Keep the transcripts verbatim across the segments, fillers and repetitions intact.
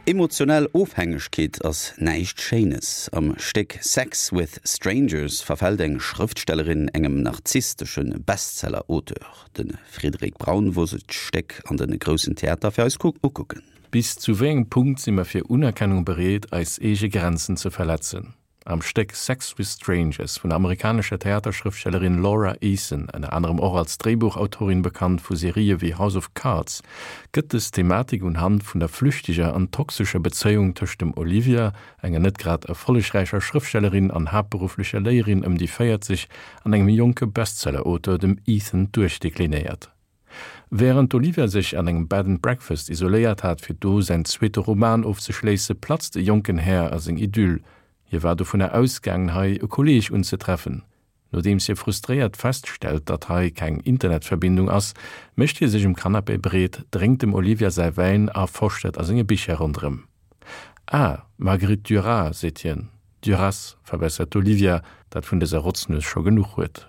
Emotionell Ofhängegkeet ass näischt Schéines. Am Stéck Sex with Strangers verfält eng Schrëftstellerin engem narzisstesche Bestseller-Auteur. De Frédéric Braun wor sech d'Stéck an de Groussen Theater fir eis ukucken. Bis zu wéi engem Punkt si mer fir Unerkennung bereet, eis eege Grenzen ze verletzen? Am Stéck Sex with Strangers vun der amerikanescher Theaterschrëftstellerin Laura Eason, ënner anerem och als Dréibuchautorin bekannt vu Serië wéi House of Cards, gëtt dës Thematik unhand vun der flüchteger an toxescher Bezéiung tëscht dem Olivia, enger net grad erfollegräicher Schrëftstellerin an haaptberufflecher Léierin ëm déi véierzeg, an engem jonke Bestseller-Auteur, dem Ethan, duerchdeklinéiert. Wärend d'Olivia sech an engem Bed and Breakfast isoléiert hat, fir do säin zweete Roman ofzeschléisse, platzt e jonken Här a seng Idyll. Hie war dovunner ausgaangen, hei e Kolleeg unzetreffen. Nodeems hie frustréiert feststellt, datt hei keng Internetverbindung ass, mécht hie sech um Canapé breet, drénkt dem Olivia säi Wäin a forscht a senge Bicher ronderëm. Ah, Marguerite Duras, seet hien. Duras, verbessert d'Olivia, dat vun dëser Rotznues scho genuch huet.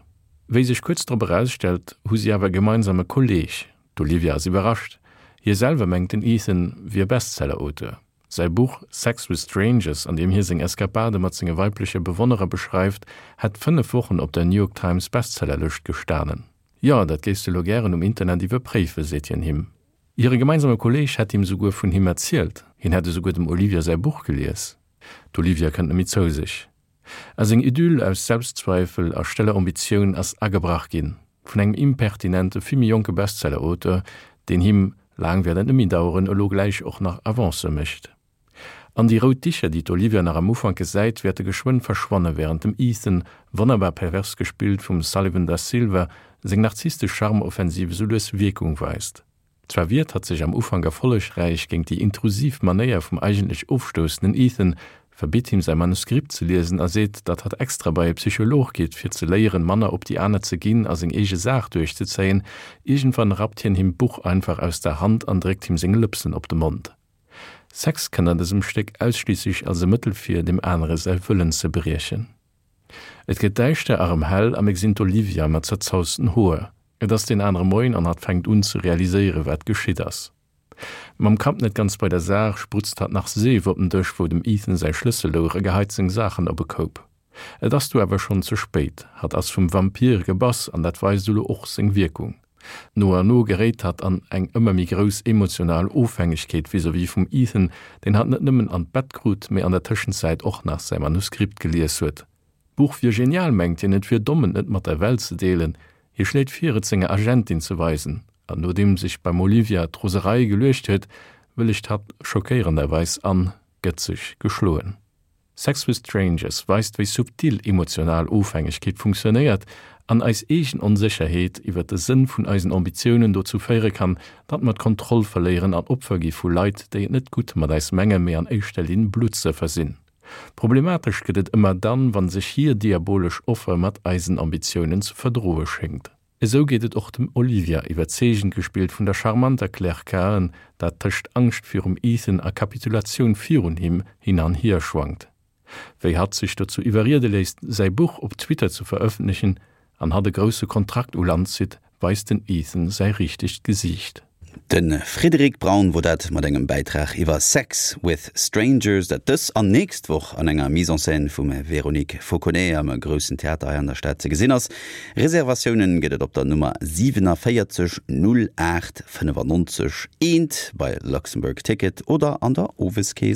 Wéi sech kuerz drop erausstellt, hu si awer e gemeinsame Kolleeg. D'Olivia ass iwwerrascht. Hie selwer mengt, den Ethan wier Bestseller-Auteur. Säi Buch Sex with Strangers, an deem hie seng Eskapade mat senge weibleche Bewonnerer beschreift, hätt fënnef Wochen op der New York Times Bestsellerlëscht gestanen. Jo, dat géifs de lo gären um Internet iwwerpréifen, seet hien him. Hire gemeinsame Kolleeg hätt him souguer vun him erzielt, hien hätt esouguer dem Olivia säi Buch gelies. D'Olivia kënnt net méi zou sech. A seng Idyll aus Selbstzweifel a stëller Ambitioun ass agebrach ginn, vun engem impertinente, vill méi jonke Bestsellerauteur, deen him, laang wäert et net méi daueren, elo gläich och nach Avancë mécht. An déi rout Dicher, déi d'Olivia nach am Ufank gesäit, wäerte geschwënn verschwanne wärend dem Ethan, wonnerbar pervers gespillt vum Sullivan Da Silva, seng narzisstesch Charme-Offensiv esou lues Wierkung weist. Zwar wiert hatt sech am Ufank erfollegräich géint déi intrusiv Manéier vum eigentlech ofstoussenden Ethan, verbitt him säi Manuskript ze liesen a seet, datt hatt extra bei e Psycholog geet, fir ze léieren, manner op déi aner ze ginn a seng eege Saach duerchzezéien. Iergendwann rappt hien him d'Buch einfach aus der Hand an dréckt him seng Lëpsen op de Mond. Sex kënnt an dësem Stéck ausschliisslech als e Mëttel vir, dem anere säi Wëllen ze briechen. Et gëtt däischter a rëm hell a mir gesinn d'Olivia mat zerzausten Hoer. Et ass deen anere Moien an hatt fänkt un ze realiséiere wat geschitt ass. Mam Kapp net ganz bei der Saach sprutzt hatt nach Seef op den Dësch wou dem Ethan säi Schlëssel louch a geheit seng Saachen op e Koup. Et ass du awer schonn ze spéit, hatt ass vum Vampir gebass an dat weist elo och seng Wierkung. No an no geréit hatt an eng ëmmer méi grouss emotional Ofhängegkeet vis-à-vis vum Ethan, deen hatt net nëmmen an d'Bett krut, mee an der Tëschenzäit och nach säi Manuskript gelies huet. D'Buch wier genial, mengt hien, et wier domm, et net mat der Welt ze deelen. Hie schléit vir, et senger Agentin ze weisen, an nodeem sech beim Olivia d'Roserei geluecht huet, wëllegt hatt schockéierenderweis an, gëtt sech geschloen. Sex with Strangers weist, wéi subtil emotional Ofhängegkeet funktionéiert an eis eegen Onsécherheet iwwer de Sënn vun eisen Ambitiounen dozou féiere kann, datt mer d'Kontroll verléieren an Opfer gi vu Leit, déi et net gutt mat eis mengen, mee an éischter Linn Bluttsëffer sinn. Problematesch gëtt et ëmmer dann, wann sech hir diabolesch Offer mat eisen Ambitiounen ze verdroe schéngt. Esou geet et och dem Olivia, iwwerzeegend gespillt vun der charmanter Claire Cahen, dat tëscht Angscht virum Ethan a Kapitulatioun virun him hin an hier schwankt. Wéi hatt sech dozou iwwerriede léisst, säi Buch op Twitter ze verëffentlechen an hatt e grousse Kontrakt u Land zitt, weist den Ethan säi richtegt Gesiicht. De Frédéric Braun wor dat mat engem Bäitrag iwwer Sex with Strangers, dat dës an nächst Woch an enger Mise en scène vum Véronique Fauconnet am Groussen Theater hei an der Stad ze gesinn ass. Reservatioune gëtt et op der Nummer siewenundvierzig null aacht fënnefannonzeg eent bei Luxembourg Ticket oder an der Oweskeess.